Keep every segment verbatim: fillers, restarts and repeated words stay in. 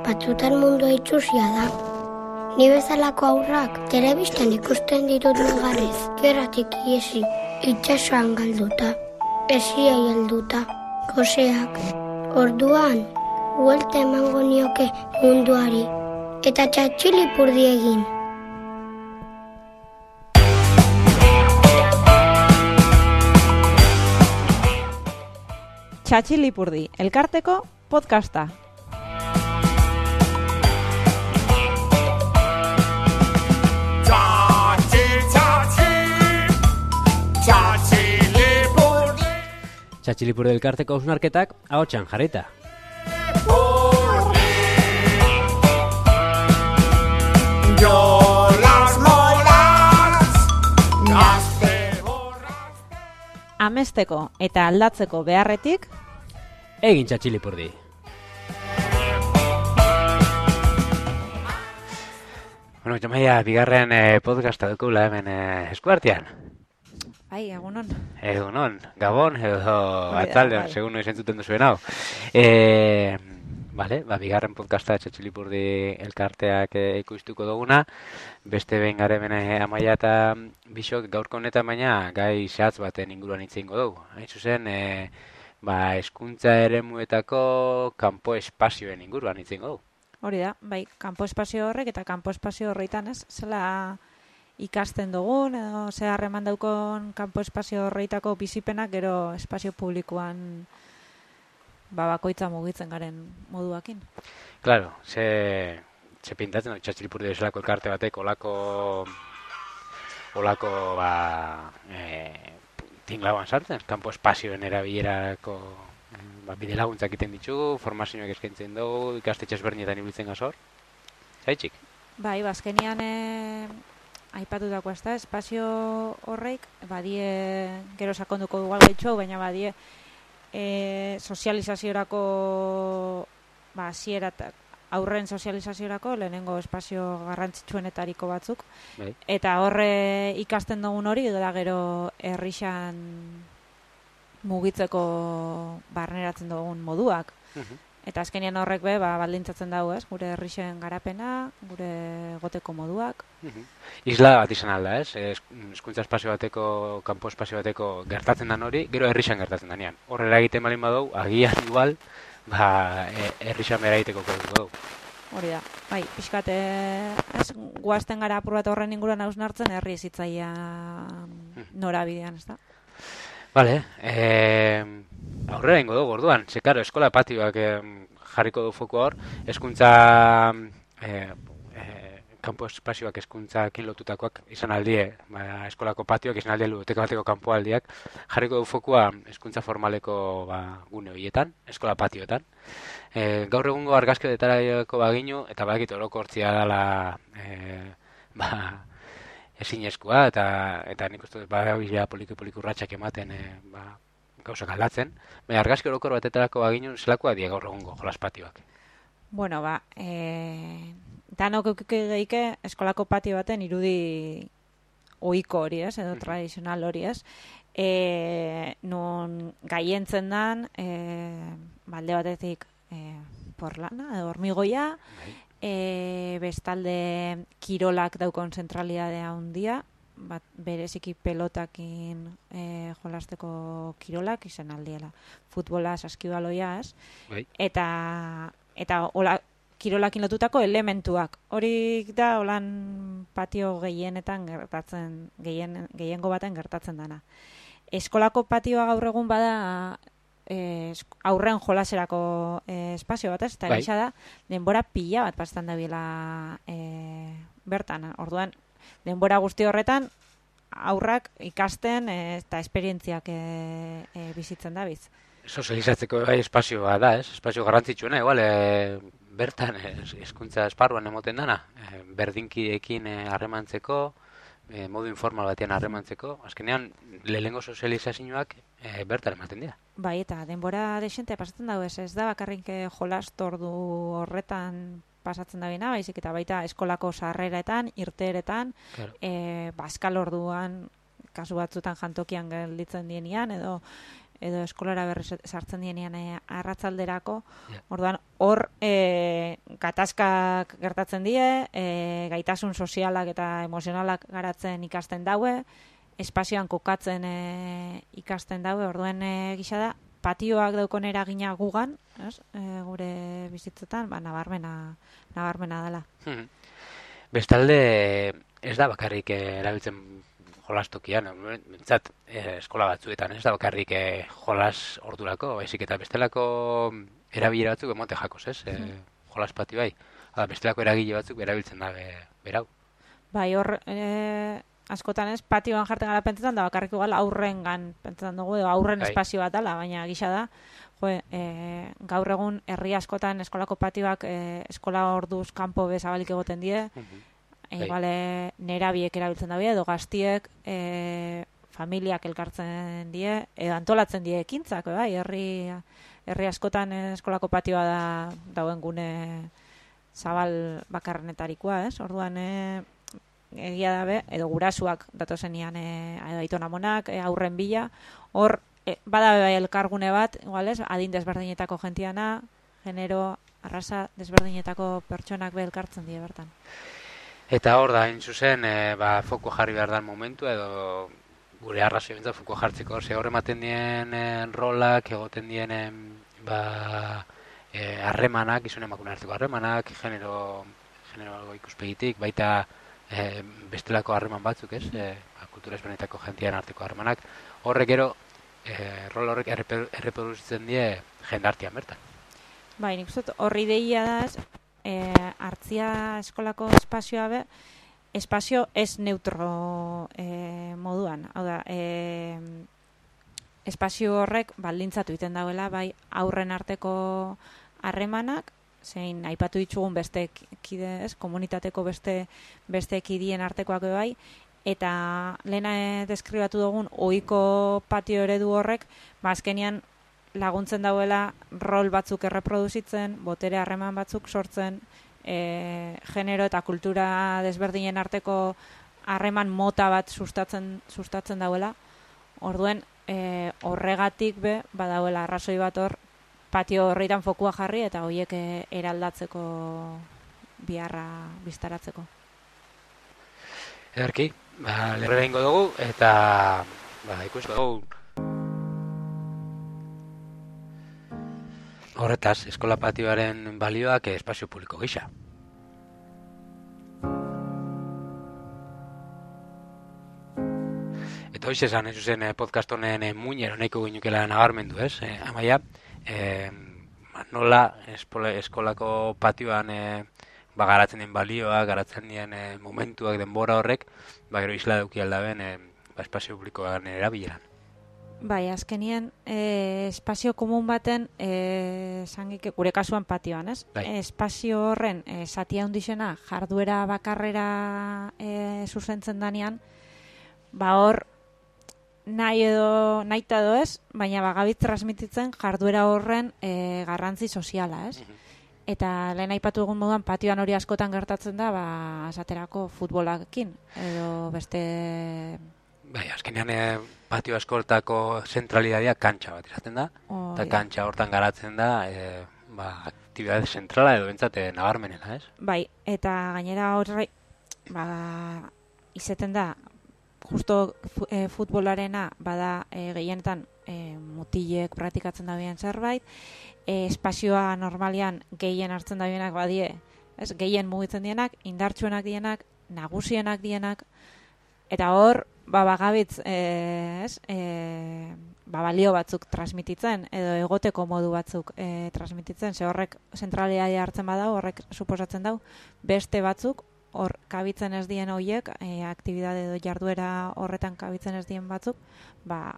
batzutan mundua itxusia da. Ni bezalako aurrak telebistan ikusten ditut negarrez, gerratik iesi, itxasoan galduta, esiei helduta, goseak. Orduan, huelte emango nioke munduari, eta txatxilipurdi egin. Txatxilipurdi, elkarteko podcasta. Txatxilipurdi elkarteko hausnarketak ahotsan jarrita. Amesteko eta aldatzeko beharretik egin txatxilipurdi. Bueno, Jamaia, bigarren eh, podcasta dukula hemen eh, eskuartean. Bai, egunon. Egunon, Gabon, edo atzaldean, segun noiz entzuten duzuen hau. E, vale, ba, bigarren podcasta txatxilipurdi elkarteak e, ikustuko duguna. Beste behin garen Amaia eta Bixok gaurko honetan baina gai zehatz baten inguruan hitz egingo dugu. Hain zuzen, e, ba, hezkuntza eremuetako kanpo espazioen inguruan hitz egingo dugu. Hori da, bai, kanpo espazio horrek eta kanpo espazio horreitan, ez? Zela ikasten dugun, edo ze harreman daukon kanpo espazio horreitako bizipenak gero espazio publikoan ba, bakoitza mugitzen garen moduakin. Claro, ze, ze pintatzen, txatxilipurdi bezalako elkarte batek olako olako ba, e, tinglauan sartzen, kanpo espazioen erabilerako ba, bide laguntzak egiten ditugu, formazioak eskaintzen dugu, ikastetxe ezberdinetan ibiltzen gazor. Zaitxik? Bai, bazkenian e, aipatutako ez da, espazio horreik, badie, gero sakonduko dugu gaitxo, baina badie e, sozializaziorako ba, zieratak, aurren sozializaziorako lehenengo espazio garrantzitsuenetariko batzuk. Bai. Eta horre ikasten dugun hori, da gero herrixan mugitzeko barneratzen dugun moduak. Uh-huh. Eta azkenean horrek be, ba, baldintzatzen dago, ez? Gure herrixen garapena, gure goteko moduak. Uh-huh. Isla bat izan alda, ez? Hezkuntza espazio bateko, kanpo espazio bateko gertatzen den hori, gero herrixan gertatzen denean. Horrela egiten balin badau, agian igual, ba, herrixan bera egiteko koduko dugu. Hori da, bai, pixkat, ez, guazten gara apur bat horren inguruan hausnartzen, herri ezitzaia norabidean, ez da? Vale, eh, aurrera ingo dugu orduan, ze karo, eskola patioak eh, jarriko du foku hor, hezkuntza eh, eh, kanpo espazioak hezkuntzakin lotutakoak izan aldie, ba, eskolako patioak izan aldie ludoteka bateko kanpo aldiak, jarriko du fokua hezkuntza formaleko ba, gune horietan, eskola patioetan. Eh, gaur egungo argazkioetarako baginu, eta badakit orokortzia dela eh, ba, ezinezkoa, eta eta nik uste dut badabila poliki-poliki urratsak ematen e, ba, gauzak aldatzen. Baina argazki orokor batetarako baginu zelakoa die gaur egungo jolaspatioak. Bueno, ba, e, danok eukike eskolako patio baten irudi ohiko hori, ez, edo tradizional hori, ez. E, non gaientzen dan, e, balde batetik e, porlana, edo hormigoia, bai. E, bestalde kirolak daukon zentralidadea handia, bat bereziki pelotakin e, jolasteko kirolak izan aldiela. Futbola, saskibaloiaz, bai. eta eta hola, kirolakin lotutako elementuak. Hori da holan patio gehienetan gertatzen, gehien, gehiengo baten gertatzen dana. Eskolako patioa gaur egun bada Eh, aurren jolaserako eh, espazio bat, ez? Eta bai. Gisa da, denbora pila bat pastan dabila eh, bertan. Orduan, denbora guzti horretan, aurrak ikasten eh, eta esperientziak eh, eh, bizitzen dabiz. Sozializatzeko bai espazioa da, ez? Espazio garrantzitsuena, igual, eh, bertan hezkuntza esparruan emoten dana. Eh, berdinkiekin harremantzeko, eh, modu informal batean harremantzeko. Azkenean, lehenengo sozializazioak eh, bertan ematen dira. Bai, eta denbora desente pasatzen dago ez, ez da bakarrik jolastordu horretan pasatzen da bina, baizik eta baita eskolako sarreretan, irteeretan, claro. e, baskal orduan, kasu batzutan jantokian gelditzen dienean, edo edo eskolara berri sartzen dienean e, arratzalderako, yeah. Orduan hor e, gatazkak gertatzen die, e, gaitasun sozialak eta emozionalak garatzen ikasten daue, espazioan kokatzen e, ikasten daue, orduen e, gisa da, patioak daukon eragina gugan, ez? E, gure bizitzetan, ba, nabarmena, nabarmena dela. Bestalde, ez da bakarrik eh, erabiltzen jolastokian, bentsat, eh, eskola batzuetan, ez da bakarrik eh, jolas ordurako, baizik eta bestelako erabilera batzuk emote jakoz, ez? Eh, jolas patio bai. Hala, bestelako eragile batzuk erabiltzen da be, berau. Bai, hor, e, askotan ez, patioan jartzen gara pentsetan, da bakarrik igual aurrengan pentsetan dugu, edo aurren bai. espazio bat dela, baina gisa da, jo, e, gaur egun herri askotan eskolako patioak e, eskola orduz kanpo bezabalik egoten die, Uh-huh. e, Bai. igual e, nerabiek erabiltzen dabe, edo gaztiek e, familiak elkartzen die, edo antolatzen die ekintzak, bai, herri, herri askotan eskolako patioa da dauen gune zabal bakarrenetarikoa, ez? Orduan, e, egia dabe, edo gurasuak datozenian e, aitona monak, e, aurren bila, hor, e, badabe bai elkargune bat, igual ez, adin desberdinetako gentiana, genero, arraza desberdinetako pertsonak be elkartzen die bertan. Eta hor da, hain zuzen, e, ba, foko jarri behar dan momentu, edo gure arrazio bintzat foko jartzeko, ze hor ematen dien e, rolak, egoten dien e, ba, e, harremanak, izun emakune arteko harremanak, genero, genero ikuspegitik, baita e, bestelako harreman batzuk, ez? E, ba, kultura ezberdinetako gentian arteko harremanak, horrek gero, e, rol horrek erreper, erreproduzitzen die jendartian bertan. Bai, nik uste horri deia da, ez, e, hartzia eskolako espazioa be, espazio ez neutro e, moduan. Hau da, e, espazio horrek baldintzatu egiten dauela, bai aurren arteko harremanak, zein aipatu ditugun beste kide, ez, komunitateko beste beste kidien artekoak bai, eta lehena deskribatu dugun ohiko patio eredu horrek, ba azkenean laguntzen dauela rol batzuk erreproduzitzen, botere harreman batzuk sortzen, e, genero eta kultura desberdinen arteko harreman mota bat sustatzen sustatzen dauela. Orduen, e, horregatik be badauela arrazoi bat hor patio horritan fokua jarri eta horiek e, eraldatzeko biharra biztaratzeko. Ederki, ba, lerrera ingo dugu eta ba, ikusko dugu. Horretaz, eskola patioaren balioak espazio publiko gisa. Eta hoiz esan, ez zuzen podcast honen muinero nahiko ginukela nabarmendu, ez? E, amaia, e, nola espola, eskolako patioan e, ba, garatzen den balioa, garatzen den e, momentuak denbora horrek, ba, gero isla dauki aldaben e, ba, espazio publikoan erabileran. Bai, azkenien, e, espazio komun baten, e, sangik, gure kasuan patioan, ez? Bai. E, espazio horren, e, zatia hundixena, jarduera bakarrera e, zuzentzen danean, ba hor, nahi edo, nahi edo ez, baina bagabit transmititzen jarduera horren e, garrantzi soziala, ez? Mhm. Eta lehen aipatu egun moduan patioan hori askotan gertatzen da, ba, esaterako futbolakin, edo beste... Bai, azkenean e, patio askortako zentralidadea kantxa bat izaten da, Oh, eta ja. kantxa hortan garatzen da, e, ba, aktibidade zentrala edo bentsate nabarmenena, ez? Bai, eta gainera horre, ba, izeten da, justo fu, e, futbolarena bada e, gehienetan e, mutilek praktikatzen dabien zerbait, e, espazioa normalian gehien hartzen dabienak badie, ez, gehien mugitzen dienak, indartsuenak dienak, nagusienak dienak, eta hor, ba, bagabitz, e, ez, e, ba, balio batzuk transmititzen, edo egoteko modu batzuk e, transmititzen, ze horrek zentralidadea hartzen badau, horrek suposatzen dau, beste batzuk, hor kabitzen ez dien horiek, e, aktibidade edo jarduera horretan kabitzen ez dien batzuk, ba,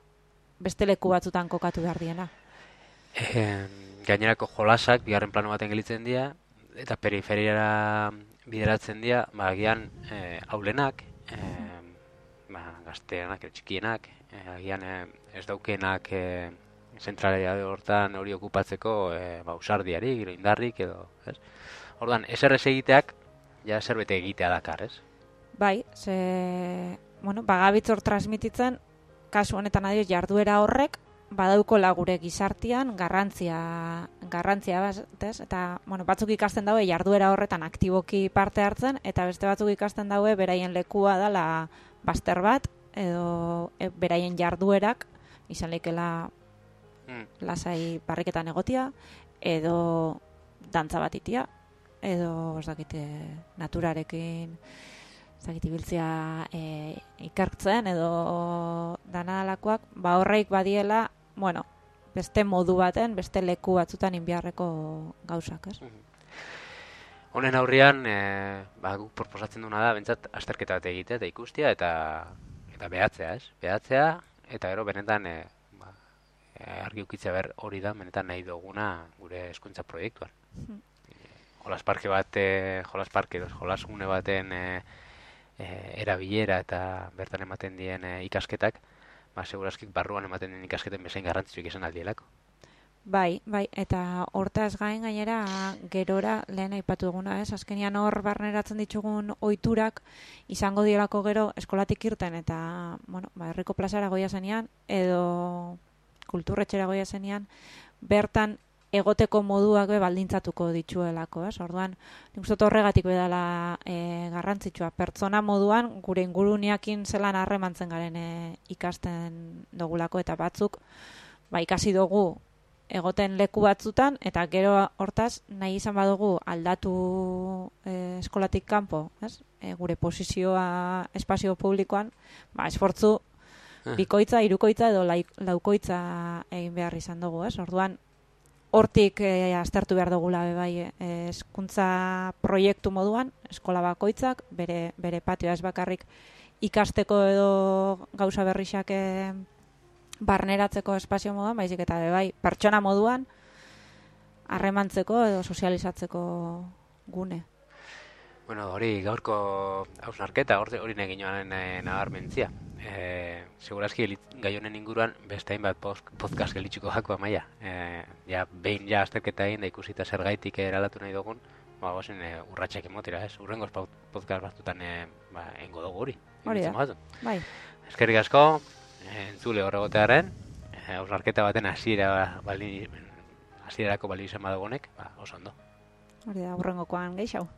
beste leku batzutan kokatu behar diena. E, gainerako jolasak, bigarren plano baten gelitzen dira, eta periferiara bideratzen dira, ba, agian e, aulenak, e, ba, gazteanak, txikienak, e, agian e, ez daukenak e, zentralidade hortan hori okupatzeko e, ba, usardiarik, gero indarrik edo, ez? Ordan, eser ez egiteak, ja zerbait egitea dakar, ez? Bai, ze, bueno, bagabitz hor transmititzen, kasu honetan adioz jarduera horrek, badaukola gure gizartian garrantzia garrantzia batez, eta bueno, batzuk ikasten daue jarduera horretan aktiboki parte hartzen, eta beste batzuk ikasten daue beraien lekua dela bazter bat, edo e, beraien jarduerak izan leikela mm. lasai barriketan egotia, edo dantza bat itia, edo ez dakite naturarekin ez dakit ibiltzea e, ikertzen edo danadalakoak, ba horreik badiela, bueno, beste modu baten, beste leku batzutan inbiarreko gauzak, ez? Honen aurrian, e, ba, guk proposatzen duna da, bentsat, azterketa bat egitea eta ikustia, eta eta behatzea, ez? Behatzea, eta gero benetan e, ba, e, argi ukitzea ber hori da, benetan nahi duguna gure hezkuntza proiektuan. Hmm. Jolas parke bat, e, jolas parke, jolas gune baten e, e, erabilera eta bertan ematen dien e, ikasketak, ba, segurazkik barruan ematen den ikasketen bezain garrantzitsuik izan aldielako. Bai, bai, eta hortaz gain gainera gerora lehen aipatu eguna, ez? Azkenian hor barneratzen ditugun ohiturak izango dielako gero eskolatik irten eta, bueno, ba, herriko plazara goia zenean edo kulturretxera goia zenean, bertan egoteko moduak be baldintzatuko dituelako, ez? Orduan, nik uste horregatik bedala e, garrantzitsua. Pertsona moduan gure inguruneakin zelan harremantzen garen e, ikasten dogulako, eta batzuk ba, ikasi dugu egoten leku batzutan, eta gero hortaz nahi izan badugu aldatu e, eskolatik kanpo, ez? E, gure posizioa espazio publikoan, ba, esfortzu bikoitza, hirukoitza edo laukoitza egin behar izan dugu, ez? Orduan, hortik e, aztertu behar dugula bai hezkuntza proiektu moduan, eskola bakoitzak, bere, bere patioa ez bakarrik ikasteko edo gauza berrixak e, barneratzeko espazio moduan, baizik eta bai pertsona moduan harremantzeko edo sozializatzeko gune. Bueno, hori gaurko hausnarketa, hori neginoan e, nabarmentzia. E, segurazki gai honen inguruan beste hainbat podcast gelitzuko jako amaia. E, ja, behin ja azterketa egin da ikusita zer gaitik eralatu nahi dugun, ba, gozen e, urratxak emotera, ez? Urrengoz podcast batzutan e, ba, engo dugu hori. Hori da, bai. Eskerrik asko, entzule horregotearen, hausnarketa baten hasiera bali, hasierarako bali izan badugunek, ba, oso ondo. Hori da, urrengokoan gehiago.